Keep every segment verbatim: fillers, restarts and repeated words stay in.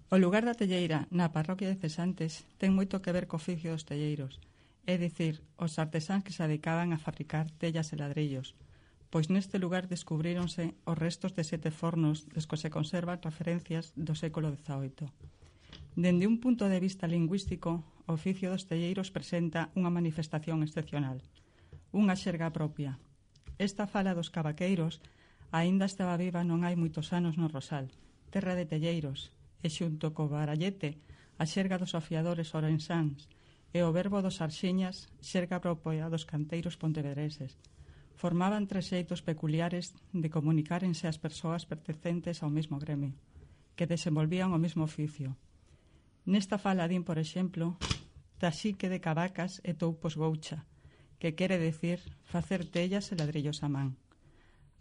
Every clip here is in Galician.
O lugar da telleira na parroquia de Cesantes ten moito que ver co oficio dos telleiros, é dicir, os artesáns que se dedicaban a fabricar tellas e ladrillos, pois neste lugar descubríronse os restos de sete fornos dos que se conservan referencias do século dezaoito. Dende un punto de vista lingüístico, o oficio dos telleiros presenta unha manifestación excepcional, unha xerga propia. Esta fala dos cavaqueiros aínda estaba viva non hai moitos anos no Rosal, terra de telleiros, e xunto co barallete, a xerga dos afiadores ourensáns e o verbo dos arxiñas, xerga propia dos canteiros pontevedreses. Formaban tres xeitos peculiares de comunicárense as persoas pertencentes ao mesmo gremio, que desenvolvían o mesmo oficio. Nesta fala din, por exemplo, taxique de cavacas e toupos goucha, que quere decir facer tellas e ladrillos a man.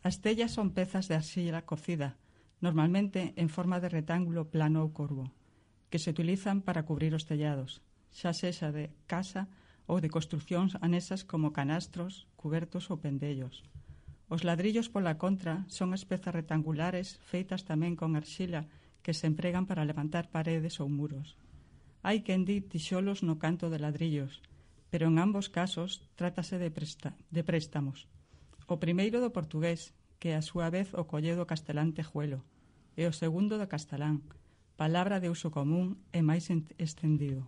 As tellas son pezas de arxilla cocida, normalmente en forma de retángulo plano ou corvo, que se utilizan para cubrir os tellados, xa sexa de casa ou de construcións anexas como canastros, cubertos ou pendellos. Os ladrillos, pola contra, son as pezas retangulares feitas tamén con arxila que se empregan para levantar paredes ou muros. Hai quen di tixolos no canto de ladrillos, pero en ambos casos trátase de, presta, de préstamos. O primeiro do portugués, que a súa vez o colle do castelán tejuelo, e o segundo do castelán, palabra de uso común e máis estendido.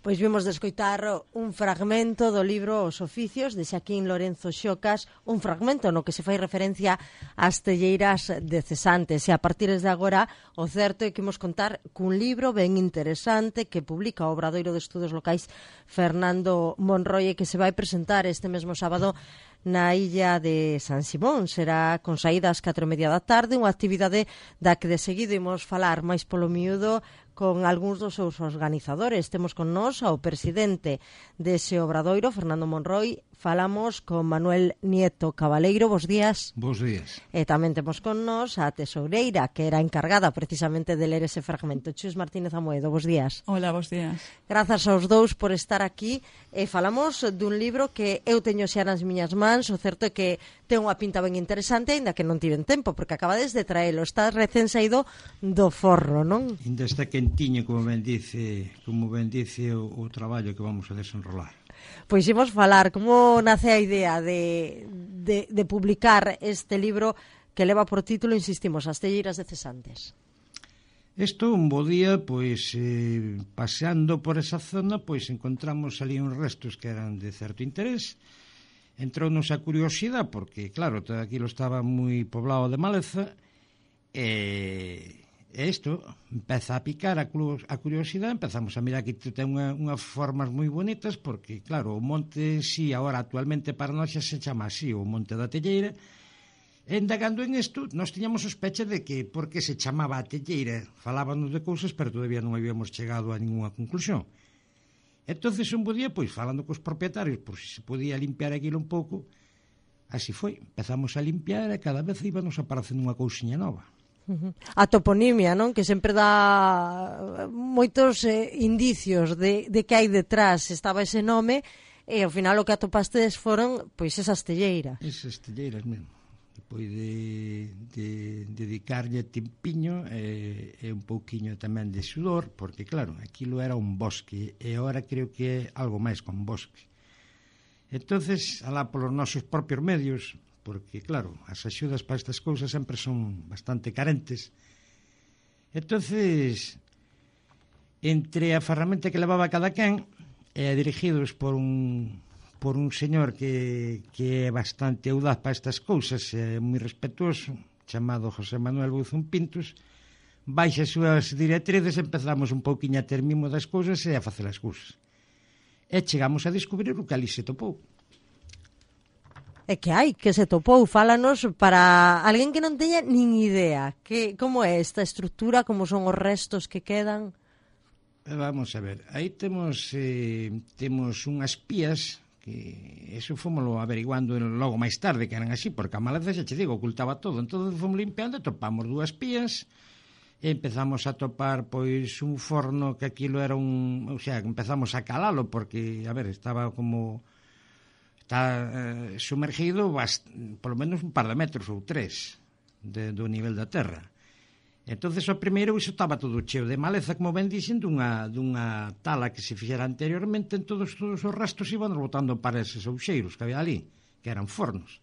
Pois vimos de escoitar un fragmento do libro Os oficios de Xaquín Lorenzo Xocas, un fragmento no que se fai referencia ás telleiras de Cesantes, e a partir de agora o certo é que imos contar cun libro ben interesante que publica o Obradoiro de Estudos Locais Fernando Monroy e que se vai presentar este mesmo sábado na illa de San Simón. Será con saída ás catro e media da tarde, unha actividade da que de seguido imos falar máis polo miúdo con algúns dos seus organizadores. Temos con nós ao presidente dese obradoiro, Fernando Monroy. Falamos con Manuel Nieto Cabaleiro. Bos días. Bos días. E tamén temos con nós a tesoureira, que era encargada precisamente de ler ese fragmento, Chus Martínez Amoedo. Bos días. Hola, bos días. Grazas aos dous por estar aquí. E falamos dun libro que eu teño xa nas miñas mans. O certo é que ten unha pinta ben interesante, aínda que non tiven tempo, porque acabades de traelo. Está recén saído do forno, non? Ainda está quentiño, como ben dice, como ben dice o, o traballo que vamos a desenrolar. Pois imos falar como nace a idea de, de, de publicar este libro que leva por título, insistimos, As telleiras de Cesantes. Isto, un bo día, pois, eh, paseando por esa zona, pois encontramos ali uns restos que eran de certo interés. Entrounos a curiosidade, porque, claro, todo aquilo estaba moi poblado de maleza, e... E isto empeza a picar a, a curiosidade, empezamos a mirar que ten unha, unhas formas moi bonitas, porque, claro, o monte, si, agora actualmente para nós xa se chama así, o Monte da Telleira, e indagando en isto, nós tiñamos sospecha de que, por que se chamaba a Telleira, falábanos de cousas, pero todavía non habíamos chegado a ninguna conclusión. Entonces, un bo día, pois, falando cos propietarios, por si se podía limpiar aquilo un pouco, así foi, empezamos a limpiar e cada vez íbanos aparecendo unha cousiña nova. A toponimia, non? Que sempre dá moitos eh, indicios de, de que hai detrás. Estaba ese nome e ao final o que atopastes foron pois esas telleiras. Esas telleiras mesmo. Depois de, de dedicarlle tempiño e, e un pouquiño tamén de sudor, porque claro, aquilo era un bosque e agora creo que é algo máis con bosque. Entonces, alá polos nosos propios medios, porque, claro, as axudas para estas cousas sempre son bastante carentes. Entonces, entre a ferramenta que levaba cada quen, e dirigidos por un, por un señor que, que é bastante audaz para estas cousas, é moi respetuoso, chamado José Manuel Buzón Pintos, baixa as súas directrices, empezamos un pouquiño a ter mimo das cousas e a facer as cousas. E chegamos a descubrir o que ali se topou. É que hai, que se topou, fálanos para alguén que non teña nin idea. Que, como é esta estrutura, como son os restos que quedan? Vamos a ver, aí temos eh, temos unhas pías que eso fomoslo averiguando logo máis tarde que eran así, porque a maleza xa che digo, ocultaba todo. Entón fomos limpiando e topamos dúas pías e empezamos a topar pois un forno que aquilo era un... O sea, empezamos a calalo porque, a ver, estaba como... Está eh, sumergido bast... por lo menos un par de metros ou tres de, do nivel da terra. Entonces, o primeiro, iso estaba todo cheo de maleza, como ben dixen, dunha, dunha tala que se fixera anteriormente, en todos, todos os restos iban botando para eses ouxeiros que había ali, que eran fornos.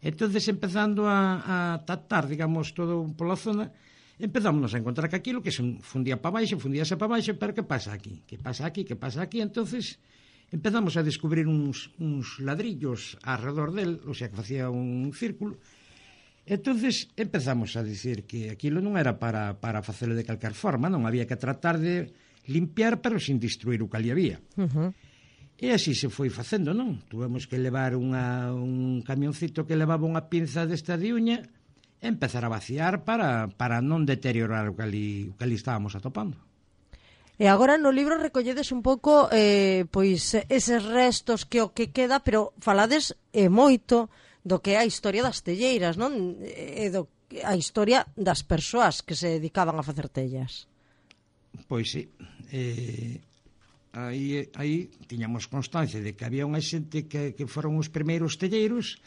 Entonces, empezando a, a tatar, digamos, todo pola zona, empezamos a encontrar que aquilo que se fundía para baixo, fundíase para baixo, pero que pasa aquí? Que pasa aquí? Que pasa aquí? Entonces, empezamos a descubrir uns, uns ladrillos alrededor del, o sea, que facía un círculo. Entonces empezamos a dicir que aquilo non era para, para facelo de calcar forma, non había que tratar de limpiar, pero sin destruir o que ali había. Uh-huh. E así se foi facendo, non? Tuvemos que levar unha, un camioncito que levaba unha pinza desta de uña e empezar a vaciar para, para non deteriorar o que ali, o que ali estábamos atopando. E agora no libro recolledes un pouco eh, pois eses restos que o que queda, pero falades e moito do que é a historia das telleiras, non? E do, a historia das persoas que se dedicaban a facer tellas. Pois sí. Eh, aí, aí tiñamos constancia de que había unha xente que, que foron os primeiros telleiros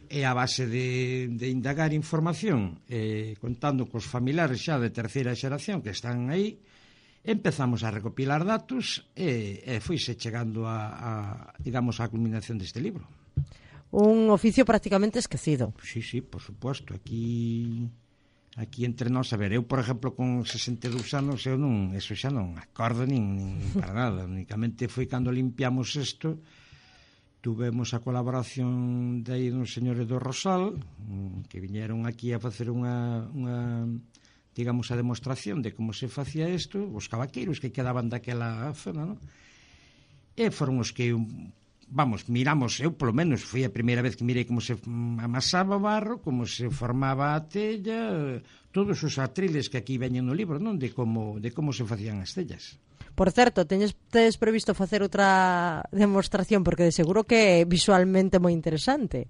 e a base de, de indagar información, eh, contando cos familiares xa de terceira xeración que están aí, empezamos a recopilar datos e, e foise chegando a, a, digamos, a culminación deste libro. Un oficio prácticamente esquecido. Sí, sí, por suposto. Aquí aquí entre nós, a ver, eu, por exemplo, con sesenta e dous anos, eu non, eso xa non acordo nin, nin para nada. Únicamente foi cando limpiamos isto, tuvemos a colaboración de aí dos señores do Rosal, que viñeron aquí a facer unha, unha digamos, a demostración de como se facía isto, os cavaqueiros que quedaban daquela zona, non? E foron os que vamos, miramos, eu polo menos foi a primeira vez que mirei como se amasaba o barro, como se formaba a tella, todos os atriles que aquí veñen no libro, non? De como, de como se facían as tellas. Por certo, teñes, tedes previsto facer outra demostración, porque de seguro que é visualmente moi interesante.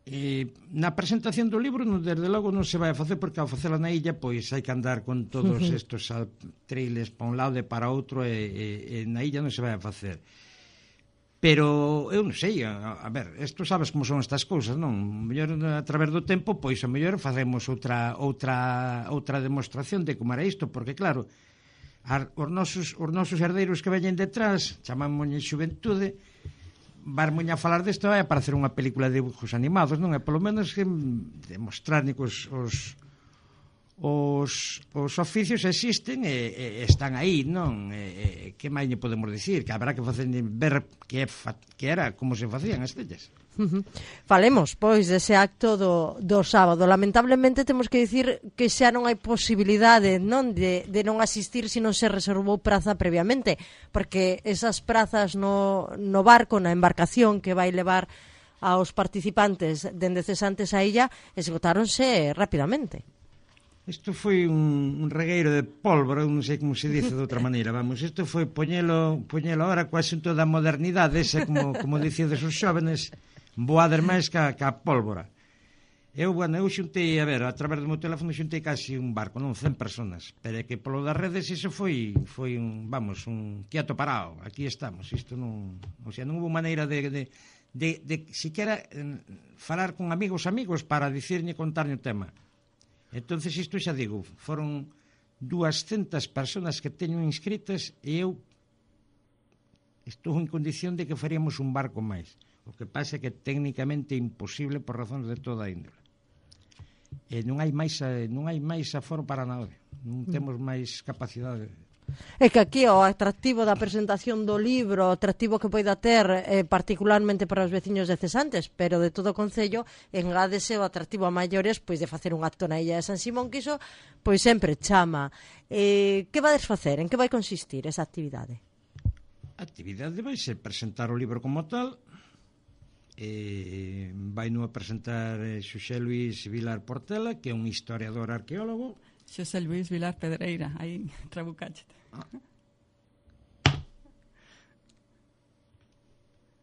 E na presentación do libro, no, desde logo, non se vai a facer, porque ao facela na illa, pois hai que andar con todos estes atriles para un lado e para outro, e, e, e na illa non se vai a facer. Pero eu non sei, a, a ver, isto sabes como son estas cousas, non? Mellor a través do tempo, pois a mellor facemos outra outra outra demostración de como era isto, porque claro, ar, os nosos os nosos herdeiros que veñen detrás, chamámoslle xuventude, varmoña a falar desto é para hacer unha película de dibujos animados, non? É polo menos que demostrar os os Os, os oficios existen e, e están aí, non? E, e, que máis lle podemos dicir? Que habrá que facer ver que, que era, como se facían as tellas. Uh-huh. Falemos, pois, dese acto do, do sábado. Lamentablemente temos que dicir que xa non hai posibilidade, non, de, de non asistir se non se reservou praza previamente, porque esas prazas no, no barco, na embarcación que vai levar aos participantes dende cesantes a illa, esgotáronse rapidamente. Isto foi un, un regueiro de pólvora, non sei como se dice de outra maneira, vamos, isto foi poñelo, poñelo ahora co asunto da modernidade, ese, como, como dicíades os xóvenes, voader máis ca, ca pólvora. Eu, bueno, eu xuntei, a ver, a través do meu teléfono xuntei casi un barco, non, cen personas, pero é que polo das redes iso foi, foi un, vamos, un quieto parado, aquí estamos, isto non, o sea, non hubo maneira de, de, de, de siquiera eh, falar con amigos amigos para dicirne, contarne o tema. Entonces isto xa digo, foron duascentas personas que teño inscritas e eu estou en condición de que faríamos un barco máis. O que pasa é que técnicamente é imposible por razóns de toda a índole. E non hai máis non hai máis aforo para nada. Non temos máis capacidade. É que aquí o atractivo da presentación do libro, o atractivo que poida ter eh, particularmente para os veciños de Cesantes, pero de todo o concello, engádese o atractivo a maiores pois de facer un acto na illa de San Simón, que iso pois sempre chama. Eh, que vades facer? En que vai consistir esa actividade? A actividade vai ser presentar o libro como tal. Eh, vai no a presentar eh, Xosé Luís Vilar Portela, que é un historiador arqueólogo. Xosé Luís Vilar Pedreira, aí trabucáchete. Ah.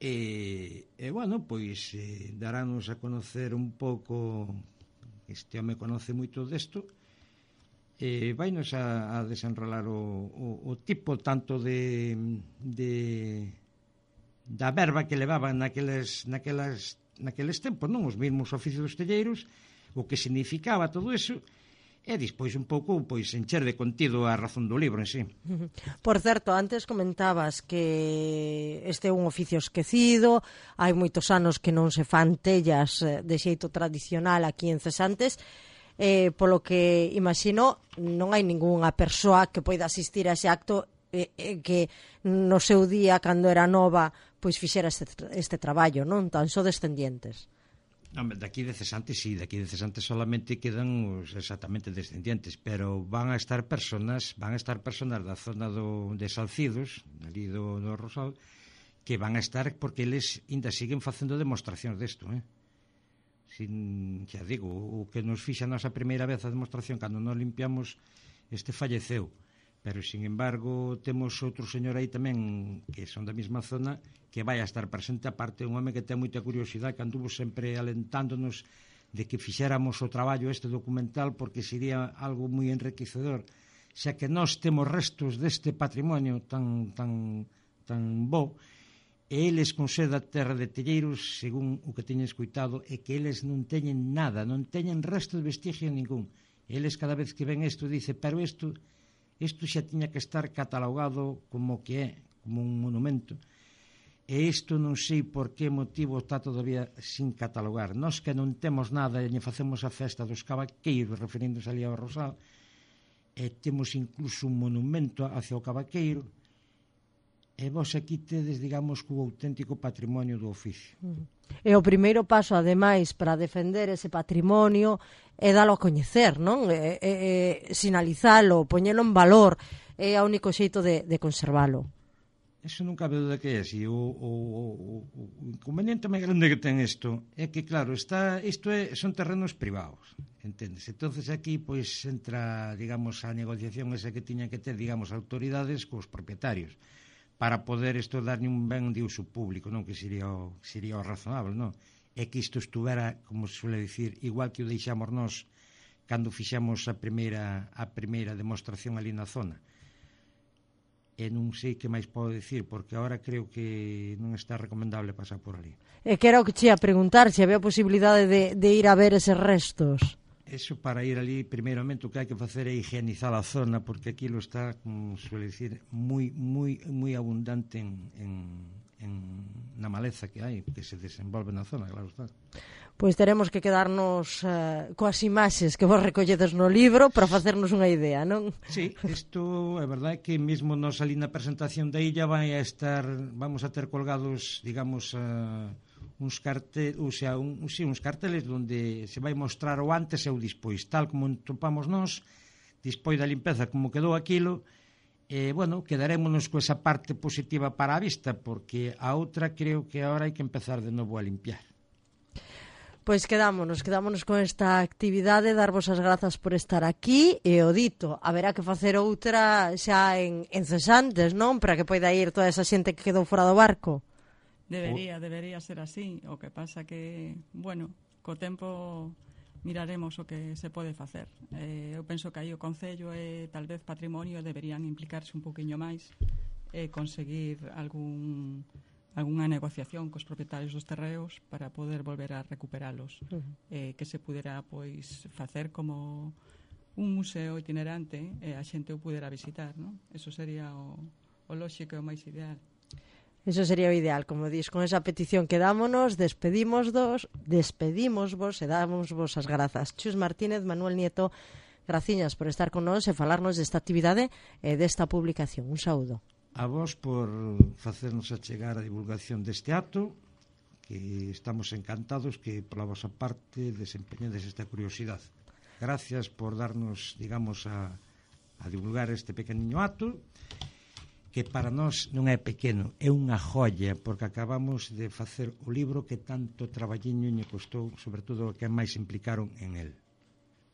E, e, bueno, pois eh, darános a conocer un pouco, este home conoce moito desto, e vainos a, a desenrolar o, o, o tipo tanto de, de da verba que levaban naqueles, naquelas, naqueles tempos, non? Os mesmos oficios dos telleiros, o que significaba todo eso. e despois un pouco pois encher de contido a razón do libro en sí. Por certo, antes comentabas que este é un oficio esquecido, hai moitos anos que non se fan tellas de xeito tradicional aquí en Cesantes, eh, polo que imagino non hai ningunha persoa que poida asistir a ese acto eh, eh, que no seu día, cando era nova, pois fixera este, este traballo, non? Tan só descendientes. Daqui de Cesantes, sí, daqui de Cesantes solamente quedan os exactamente descendientes, pero van a estar personas, van a estar personas da zona do, de Salcidos, ali do, do Rosal, que van a estar porque eles ainda siguen facendo demostracións desto, eh? Sin, xa digo, o que nos fixa a nosa primeira vez a demostración, cando nos limpiamos, este falleceu. Pero, sin embargo, temos outro señor aí tamén, que son da mesma zona, que vai a estar presente, aparte un home que ten moita curiosidade, que anduvo sempre alentándonos de que fixéramos o traballo este documental, porque sería algo moi enriquecedor, xa que nós temos restos deste patrimonio tan, tan, tan bo, e eles con ser da terra de Telleiros, según o que teñen escoitado, é que eles non teñen nada, non teñen resto de vestigio ningún. Eles cada vez que ven isto dice, pero isto... Isto xa tiña que estar catalogado como que é, como un monumento. E isto non sei por que motivo está todavía sin catalogar. Nós que non temos nada e facemos a festa dos cavaqueiros, referíndose ali ao Rosal, e temos incluso un monumento hacia o cavaqueiro, e vos aquí tedes, digamos, co auténtico patrimonio do oficio. E o primeiro paso, ademais, para defender ese patrimonio é dalo a coñecer, non? É, é, é sinalizalo, poñelo en valor, é o único xeito de, de conservalo. Eso non cabe duda que é así. O, o, o, o inconveniente máis grande que ten isto é que, claro, está, isto é, son terrenos privados, entendes? Entonces aquí, pois, entra, digamos, a negociación esa que tiñan que ter, digamos, autoridades cos propietarios, para poder isto darlle un ben de uso público, non? Que sería o, sería o razonable, non? É que isto estuvera, como se suele dicir, igual que o deixamos nós cando fixamos a primeira, a primeira demostración ali na zona. E non sei que máis podo dicir, porque agora creo que non está recomendable pasar por ali. E que era o que che ia preguntar, se había posibilidade de, de ir a ver eses restos. Eso, para ir ali, primeiramente o que hai que facer é higienizar a zona, porque aquilo está, como suele dicir, moi moi moi abundante en, en, en na maleza que hai, que se desenvolve na zona, claro está. Pois teremos que quedarnos uh, coas imaxes que vos recolledes no libro para facernos unha idea, non? Sí, isto é verdade que mesmo nos ali na presentación da illa vai a estar, vamos a ter colgados, digamos, uh, uns carteles, ou sea, un, sí, uns carteles onde se vai mostrar o antes e o despois, tal como topamos nós, despois da limpeza como quedou aquilo, e, bueno, quedarémonos co esa parte positiva para a vista, porque a outra creo que agora hai que empezar de novo a limpiar. Pois quedámonos, quedámonos con esta actividade, darvos as grazas por estar aquí, e o dito, haberá que facer outra xa en, en Cesantes, non? Para que poida ir toda esa xente que quedou fora do barco. Debería, debería ser así. O que pasa que, bueno, co tempo miraremos o que se pode facer. Eh, eu penso que aí o Concello e tal vez Patrimonio deberían implicarse un poquinho máis e conseguir algún algunha negociación cos propietarios dos terreos para poder volver a recuperalos. Uh-huh. Eh, que se pudera, pois, facer como un museo itinerante e a xente o pudera visitar, non? Eso sería o, o lóxico e o máis ideal. Eso sería o ideal, como dis, con esa petición quedámonos, despedimos dos, despedimos vos e damos vos as grazas. Chus Martínez, Manuel Nieto, graciñas por estar con nós e falarnos desta actividade e desta publicación. Un saúdo. A vos por facernos achegar a divulgación deste acto, que estamos encantados que pola vosa parte desempeñedes esta curiosidade. Gracias por darnos, digamos, a, a divulgar este pequeniño acto, que para nós non é pequeno, é unha joia, porque acabamos de facer o libro que tanto traballiño lle costou, sobre todo que máis implicaron en el.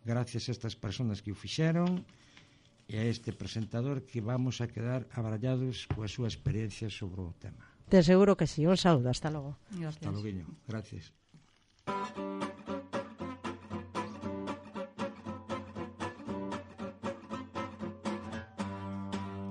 Gracias a estas persoas que o fixeron e a este presentador que vamos a quedar abrallados coa súa experiencia sobre o tema. Te seguro que sí. Un saúdo, hasta logo. Gracias. Hasta logo, gracias.